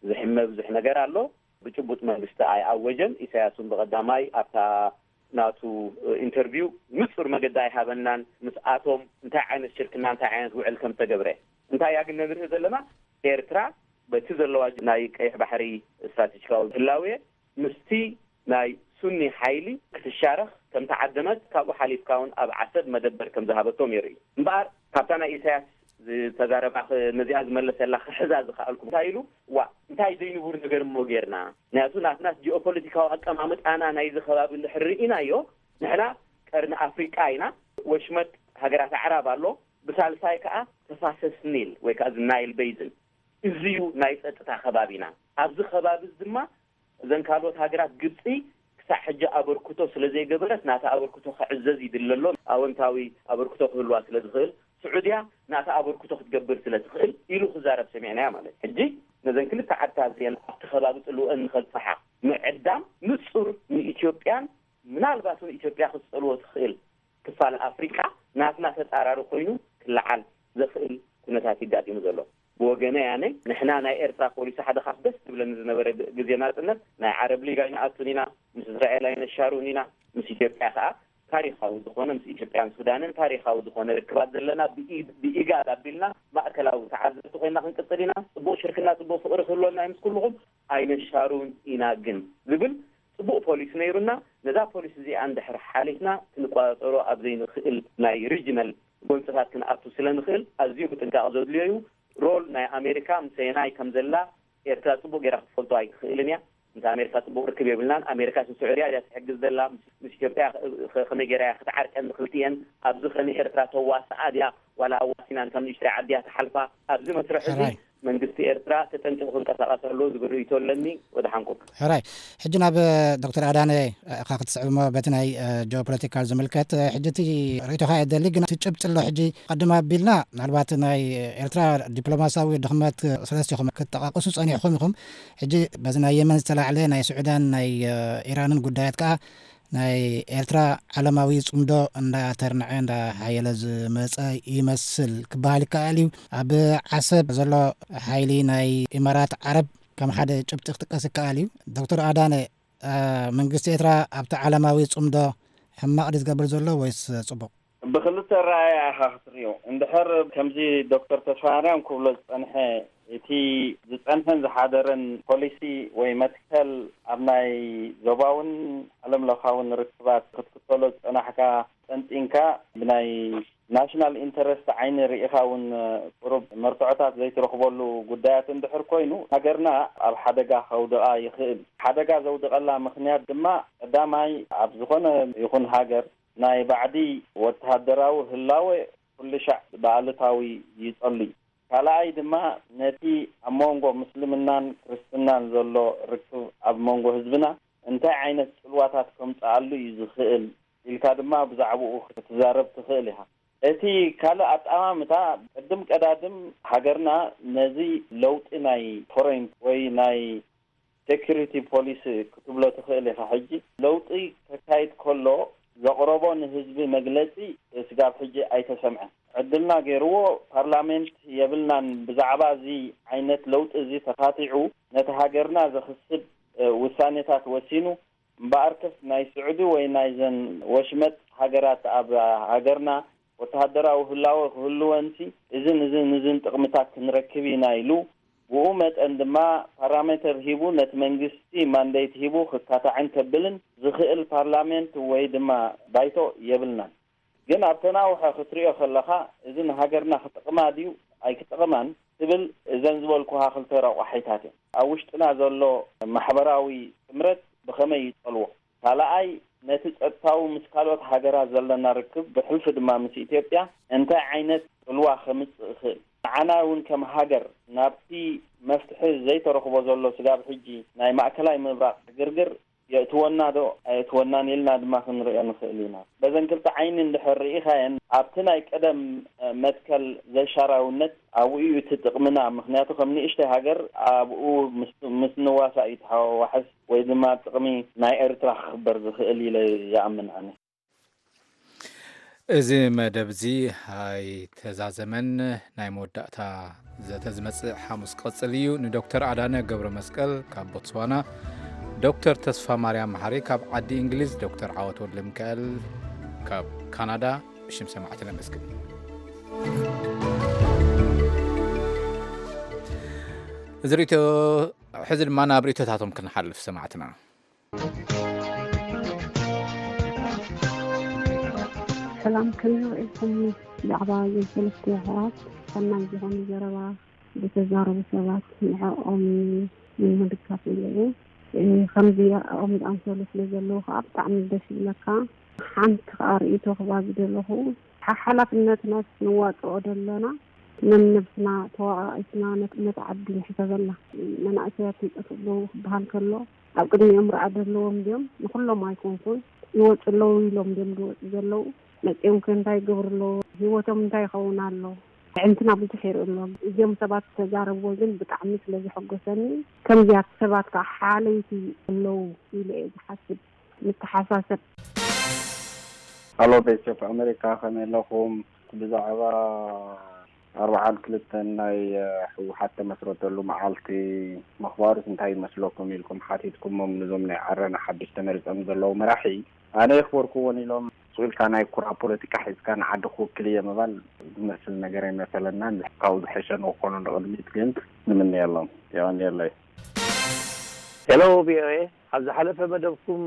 ዝሕመ ብዙሕ ነገር ኣሎ። ብጭቡጥ መንግስቲ ኣይኣወጀን። ኢሳያስ እውን ብቐዳማይ ኣብታ ናቱ ኢንተርቪው ንጹር መገዲ ኣይሃበናን። ምስኣቶም እንታይ ዓይነት ሽርክና፣ እንታይ ዓይነት ውዕል ከም ዝተገብረ። እንታይ እያ ግን ነንርኢ ዘለና? ኤርትራ በቲ ዘለዋ ናይ ቀይሕ ባሕሪ ስትራቴጂካዊ ህላዌ ምስቲ ናይ ሱኒ ሓይሊ ክትሻረኽ ከም ተዓደመት፣ ካብኡ ሓሊፍካ እውን ኣብ ዓሰብ መደበር ከም ዝሃበቶም የርኢ። እምበኣር ካብታ ናይ ኢሳያስ ዝተዛረባ ኽ-፣ ነዚኣ ዝመለሰላ ክሕዛ ዝኸኣልኩ እንታይ ኢሉ፣ ዋ፣ እንታይ ዘይንቡር ነገር እሞ ጌርና? ምኽንያቱ ናትናስ ጂኦፖለቲካዊ ኣቀማምጣና ናይዚ ከባቢ እንድሕር ርኢናዮ፣ ንሕና ቀርኒ ኣፍሪቃ ኢና፣ ወሽመጥ ሃገራት ኣዕራብ ኣሎ፣ ብሳልሳይ ከኣ ተፋሰስ ኒል ወይ ከኣ እዚ ናይል ቤዝን፣ እዚ እዩ ናይ ጸጥታ ከባቢና። ኣብዚ ከባቢ እዚ ድማ እዘን ካልኦት ሃገራት፣ ግብጺ ክሳዕ ሕጂ ኣበርክቶ ስለ ዘይገበረት፣ ናታ ኣበርክቶ ክዕዘዝ ይድለ ኣሎ። ኣወንታዊ ኣበርክቶ ክህልዋ ስለ ዝኽእል፣ ስዑድያ ናታ ኣበርክቶ ክትገብር ስለ ትኽእል ኢሉ ክዛረብ ሰሚዕናዮ ማለት። ሕጂ ነዘን ክልተ ዓድታት እዚአን ኣብቲ ከባቢ ጽልወአን ንኸብጽሓ ምዕዳም ንጹር ንኢትዮጵያን ምናልባት እውን ኢትዮጵያ ክትጸልዎ ትኽእል ክፋል ኣፍሪቃ ናትና ተጻራሪ ኮይኑ ክለዓል ዘኽእል ኩነታት ይጋጢሙ ዘሎ። ብወገነይ ኣነ፣ ንሕና ናይ ኤርትራ ፖሊሲ ሓደ ካብ ደስ ዝብለኒ ዝነበረ ግ-፣ ግዜ ናጽነት፣ ናይ ዓረብ ሊግ ኣይንኣቱን ኢና፣ ምስ እስራኤል ኣይነሻሩን ኢና፣ ምስ ኢትዮጵያ ከኣ ታሪኻዊ ዝኾነ፣ ምስ ኢትዮጵያን ሱዳንን ታሪኻዊ ዝኾነ ርክባት ዘለና፣ ብኢ-፣ ብኢጋድ ኣቢልና ማእከላዊ ተዓዘብቲ ኮይና ክንቅጽል ኢና። ጽቡቕ ሽርክና፣ ጽቡቕ ፍቕሪ ክህልወና እዩ ምስ ኩልኹም፣ ኣይነሻሩን ኢና ግን ዝብል ጽቡቕ ፖሊሲ ነይሩና። ነዛ ፖሊሲ እዚኣ እንድሕር ሓሊፍና፣ ክንቆጻጸሮ ኣብ ዘይንኽእል ናይ ሪጅናል ጎንጽታት ክንኣቱ ስለ ንኽእል፣ ኣዝዩ ምጥንቃቕ ዘድልዮ እዩ። ሮል ናይ ኣሜሪካ ምሰየናይ ከም ዘላ ኤርትራ ጽቡቕ ጌራ ክትፈልጦ ኣይትኽእልን እያ። ምስ ኣሜሪካ ጽቡቕ ርክብ የብልናን። ኣሜሪካ ስዑድያ እያ ትሕግዝ ዘላ፣ ምስ፣ ምስ ኢትዮጵያ ከ-፣ ከ-፣ ከመይ ጌራ እያ ክትዓርቀን ንክልቲኤን? ኣብዚ ከ ንኤርትራ ተዋስኣ ድያ ዋላ ኣዋሲናን ከም ንእሽተይ ዓዲ እያ ትሓልፋ? ኣብዚ መስርሕ እዚ ሕራይ። መንግስቲ ኤርትራ ተጠንቂቑ ክንቀሳቐስ ኣለዎ ዝብል ርእይቶ ኣለኒ። ወደሓንኩም። ሕራይ። ሕጂ ናብ ዶክተር ኣዳነ ኢኻ ክትስዕብ እሞ በቲ ናይ፣ እ፣ ጂኦፖለቲካል ዝምልከት፣ እ፣ ሕጂ እቲ ርእይቶኻ እየ ደሊ፣ ግን እቲ ጭብጢ ኣሎ። ሕጂ ቀድም ኣቢልና ምናልባት ናይ ኤርትራ ዲፕሎማሲያዊ ድኽመት ሰለስቲኹም ክትጠቃቅሱ ጸኒሕኩም ኢኹም። ሕጂ በዚ ናይ የመን ዝተላዕለ ናይ ስዑዳን ናይ፣ እ፣ ኢራንን ጉዳያት ከኣ ናይ ኤርትራ ዓለማዊ ጽምዶ እንዳተርንዐ እንዳሓየለ ዝመጸ ይመስል ክበሃል ይከኣል እዩ። ኣብ ዓሰብ ዘሎ ሓይሊ ናይ ኢማራት ዓረብ ከም ሓደ ጭብጢ ክጥቀስ ይከኣል እዩ። ዶክተር ኣዳነ፣ እ፣ መንግስቲ ኤርትራ ኣብቲ ዓለማዊ ጽምዶ ሕማቕ ድዩ ዝገብር ዘሎ ወይስ ጽቡቕ? ብክልተ ኣረኣእያ ኢኻ ክትርእዮ። እንድሕር ከምዚ ዶክተር ተስፋማርያም ክብሎ ዝጸንሐ፣ እቲ ዝጸንሐን ዝሓደረን ፖሊሲ ወይ መትከል ኣብ ናይ ዞባውን ዓለም ለኻውን ርክባት ክትክተሎ ዝጸናሕካ ጠንጢንካ ብናይ ናሽናል ኢንተረስት ዓይኒ ርኢኻ እውን ቁሩብ መርትዖታት ዘይትረኽበሉ ጉዳያት እንድሕር ኮይኑ፣ ሃገርና ኣብ ሓደጋ ከውድቓ ይኽእል። ሓደጋ ዘውድቐላ ምኽንያት ድማ ቀዳማይ ኣብ ዝኾነ ይኹን ሃገር ናይ ባዕዲ ወተሃደራዊ ህላወ ኩሉ ሻዕ ብኣሉታዊ ይጸሉ እዩ። ካልኣይ ድማ ነቲ ኣብ መንጎ ምስልምናን ክርስትናን ዘሎ ርክብ ኣብ መንጎ ህዝብና እንታይ ዓይነት ጽልዋታት ከምጽኣሉ እዩ ዝኽእል ንስካ ድማ ብዛዕባኡ ክትዛረብ ትኽእል ኢኻ። እቲ ካልእ ኣጠማምታ፣ ቅድም ቀዳድም ሃገርና ነዚ ለውጢ ናይ ፎሬን ወይ ናይ ሴኩሪቲ ፖሊሲ ክትብሎ ትኽእል ኢኻ። ሕጂ ለውጢ ከካይድ ከሎ ዘቕረቦ ንህዝቢ መግለጺ ስጋብ ሕጂ ኣይተሰምዐን። ዕድልና ገይርዎ፣ ፓርላሜንት የብልናን፣ ብዛዕባ እዚ ዓይነት ለውጢ እዚ ተኻቲዑ ነቲ ሃገርና ዘኽስብ ውሳኔታት ወሲኑ። እምበኣርከስ ናይ ስዑዲ ወይ ናይዘን ወሽመጥ ሃገራት ኣብ ሃገርና ወተሃደራዊ ህላወ ክህልወንሲ፣ እዝን እዝን እዝን ጥቕምታት ክንረክብ ኢና ኢሉ፣ ብኡ መጠን ድማ ፓራሜተር ሂቡ፣ ነቲ መንግስቲ ማንዴት ሂቡ ክካታዕን ከብልን ዝኽእል ፓርላሜንት ወይ ድማ ባይቶ የብልናን። ግን ኣብ ተናውሐ ክትሪኦ ከለኻ፣ እዚ ንሃገርና ክጠቕማ ድዩ ኣይክጠቕማን ትብል፣ እዘን ዝበልኩኻ ክልተ ረቋሒታት እየን። ኣብ ውሽጥና ዘሎ ማሕበራዊ ጥምረት ብኸመይ ይጸልዎ? ካልኣይ፣ ነቲ ጸጥታዊ ምስ ካልኦት ሃገራት ዘለና ርክብ፣ ብሕልፊ ድማ ምስ ኢትዮጵያ፣ እንታይ ዓይነት ጽልዋ ከምጽእ ይኽእል? ንዓና እውን ከም ሃገር ናብቲ መፍትሒ ዘይተረኽቦ ዘሎ ስጋብ ሕጂ ናይ ማእከላይ ምብራቕ ዕግርግር የእትወና ዶ ኣየእትወናን ኢልና ድማ ክንሪኦ ንኽእል ኢና። በዘን ክልተ ዓይኒ እንድሕር ርኢኻየን፣ ኣብቲ ናይ ቀደም መትከል ዘይሻራውነት ኣብኡ እዩ እቲ ጥቕምና። ምኽንያቱ ከም ንእሽተይ ሃገር ኣብኡ ምስ፣ ምስ ንዋሳእ እዩ ተሓዋዋሕስ ወይ ድማ ጥቕሚ ናይ ኤርትራ ክኽበር ዝኽእል ኢለ ይኣምን ኣነ። እዚ መደብ እዚ ኣይተዛዘመን። ናይ መወዳእታ ዘተ ዝመጽእ ሓሙስ ክቕጽል እዩ። ንዶክተር ኣዳነ ገብረ መስቀል ካብ ቦትስዋና፣ ዶክተር ተስፋ ማርያም መሓሪ ካብ ዓዲ እንግሊዝ፣ ዶክተር ዓወት ወልደ ሚካኤል ካብ ካናዳ ብሽም ሰማዕቲ ነመስግን። እዚ ርእይቶ፣ ሕዚ ድማ ናብ ርእይቶታቶም ክንሓልፍ ሰማዕትና። ሰላም፣ ከመይ ውዒልኩም? ብዛዕባ እዞም ሰለስተ ኣሕዋት ሰናይ ዝኾነ ዘረባ ዝተዛረቡ ሰባት ንዕኦም ንምድጋፍ ኢለ እየ። እ፣ ከምዚኦም ዝኣምሰሉ ስለ ዘለዉ ከዓ ብጣዕሚ ደስ ይብለካ። ሓንቲ ከዓ ርእይቶ ክባ ዝደለኹ፣ ሓ-፣ ሓላፍነትናስ ንዋፅኦ ደለና? ነንነብስና ተዋኣኢትና ነት-፣ ነታ ዓዲ ንሕሰበላ። መናእሰያት ይጠፍኡ ኣለዉ ክበሃል ከሎ፣ ኣብ ቅድሚኦም ርኣ ዘለዎም ድዮም? ንኹሎም ኣይኮንኩን። ይወፁ ኣለዉ ኢሎም ድዮም ዝወፁ ዘለዉ? መፂኦም ከ እንታይ ይገብሩ ኣለዉ? ህይወቶም እንታይ ይኸውን ኣሎ? ኣዕንትና ብዙሕ ይርኢ ኣሎ። እዚኦም ሰባት ዝተዛረብዎ ግን ብጣዕሚ ስለ ዘሐጎሰኒ፣ ከምዚያት ሰባት ከዓ ሓለይቲ ኣለዉ ኢለ እየ ዝሓስብ፣ ንተሓሳሰብ። ሃሎ፣ ቮይስ ኦፍ ኣሜሪካ፣ ከመይ ኣለኹም? ብዛዕባ ኣርብዓን ክልተን ናይ ህወሓት ተመስረተሉ መዓልቲ ምኽባሩስ እንታይ ይመስለኩም ኢልኩም ሓቲትኩሞም፣ ንዞም ናይ ዓረና ሓድሽ ተመሪጾም ዘለዉ መራሒ። ኣነ የኽበርኩዎን ኢሎም፣ ስቕ ኢልካ ናይ ኩራ ፖለቲካ ሒዝካ ንዓዲ ክውክል እየ ምባል ዝመስል ነገር ኣይመሰለናን። ካብኡ ዝሐሸ ንክኾኑ ንቕድሚት ግን ንምነየሎም። የቐንየለይ። ሄሎ፣ ቪኦኤ፣ ኣብ ዝሓለፈ መደብኩም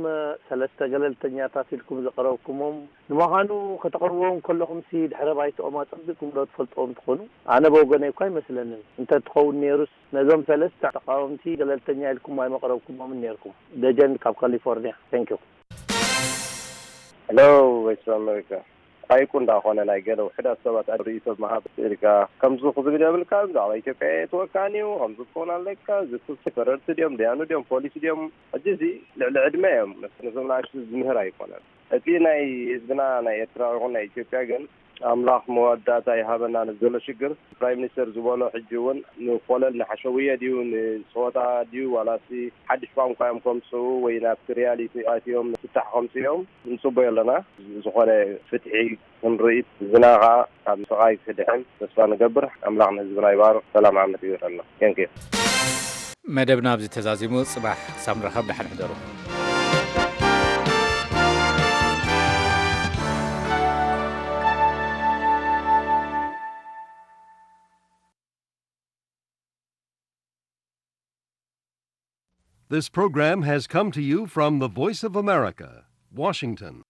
ሰለስተ ገለልተኛታት ኢልኩም ዘቕረብኩሞም፣ ንምዃኑ ከተቕርብዎም ከለኹምሲ ድሕረ ባይትኦም ኣጸቢቕኩም ዶ ትፈልጥዎም ትኾኑ? ኣነ ብወገነይ እኳ ኣይመስለንን። እንተ ትኸውን ነይሩስ ነዞም ሰለስተ ተቓወምቲ ገለልተኛ ኢልኩም ኣይመቕረብኩሞምን ነይርኩም። ደጀን ካብ ካሊፎርኒያ። Thank you። ሄሎ፣ ቮይስ ኦፍ ኣሜሪካ። ሓይቁ እንዳኾነ ናይ ገለ ውሑዳት ሰባት ርእይቶ ምሃብ ኢልካ ከምዚ ክዝብል የብልካ፣ ብዛዕባ ኢትዮጵያ የእትወካን እዩ፣ ከምዚ ክኸውን ኣለካ፣ እዚ ክሲ ፈረድቲ ድዮም፣ ደያኑ ድዮም፣ ፖሊስ ድዮም፣ ሕጂ እዚ ልዕሊ ዕድመ እዮም፣ ነዞም ንኣሽቱ ዝምህር ኣይኮነን። እቲ ናይ ህዝብና ናይ ኤርትራ ይኹን ናይ ኢትዮጵያ ግን ኣምላኽ መወዳእታ ይሃበና ነዚ ዘሎ ሽግር። ፕራይም ሚኒስተር ዝበሎ ሕጂ እውን ንኮለል ንሓሸውየ ድዩ ንፀወታ ድዩ ዋላሲ ሓድሽ ቋንቋ እዮም ከምፅኡ ወይ ናብቲ ሪያሊቲ ኣትዮም ፍታሕ ከምፅኡ እዮም ንፅበዮ ኣለና። ዝኾነ ፍትሒ ክንርኢ ህዝብና ከዓ ካብ ስቓይ ክድሕን ተስፋ ንገብር። ኣምላኽ ንህዝብና ይባርኽ። ሰላም ዓመት ይግበረልና። Thank you። መደብና ኣብዚ ተዛዚሙ። ጽባሕ ክሳብ ንራኸብ ደሓን ሕደሩ። This program has come to you from the Voice of America, Washington.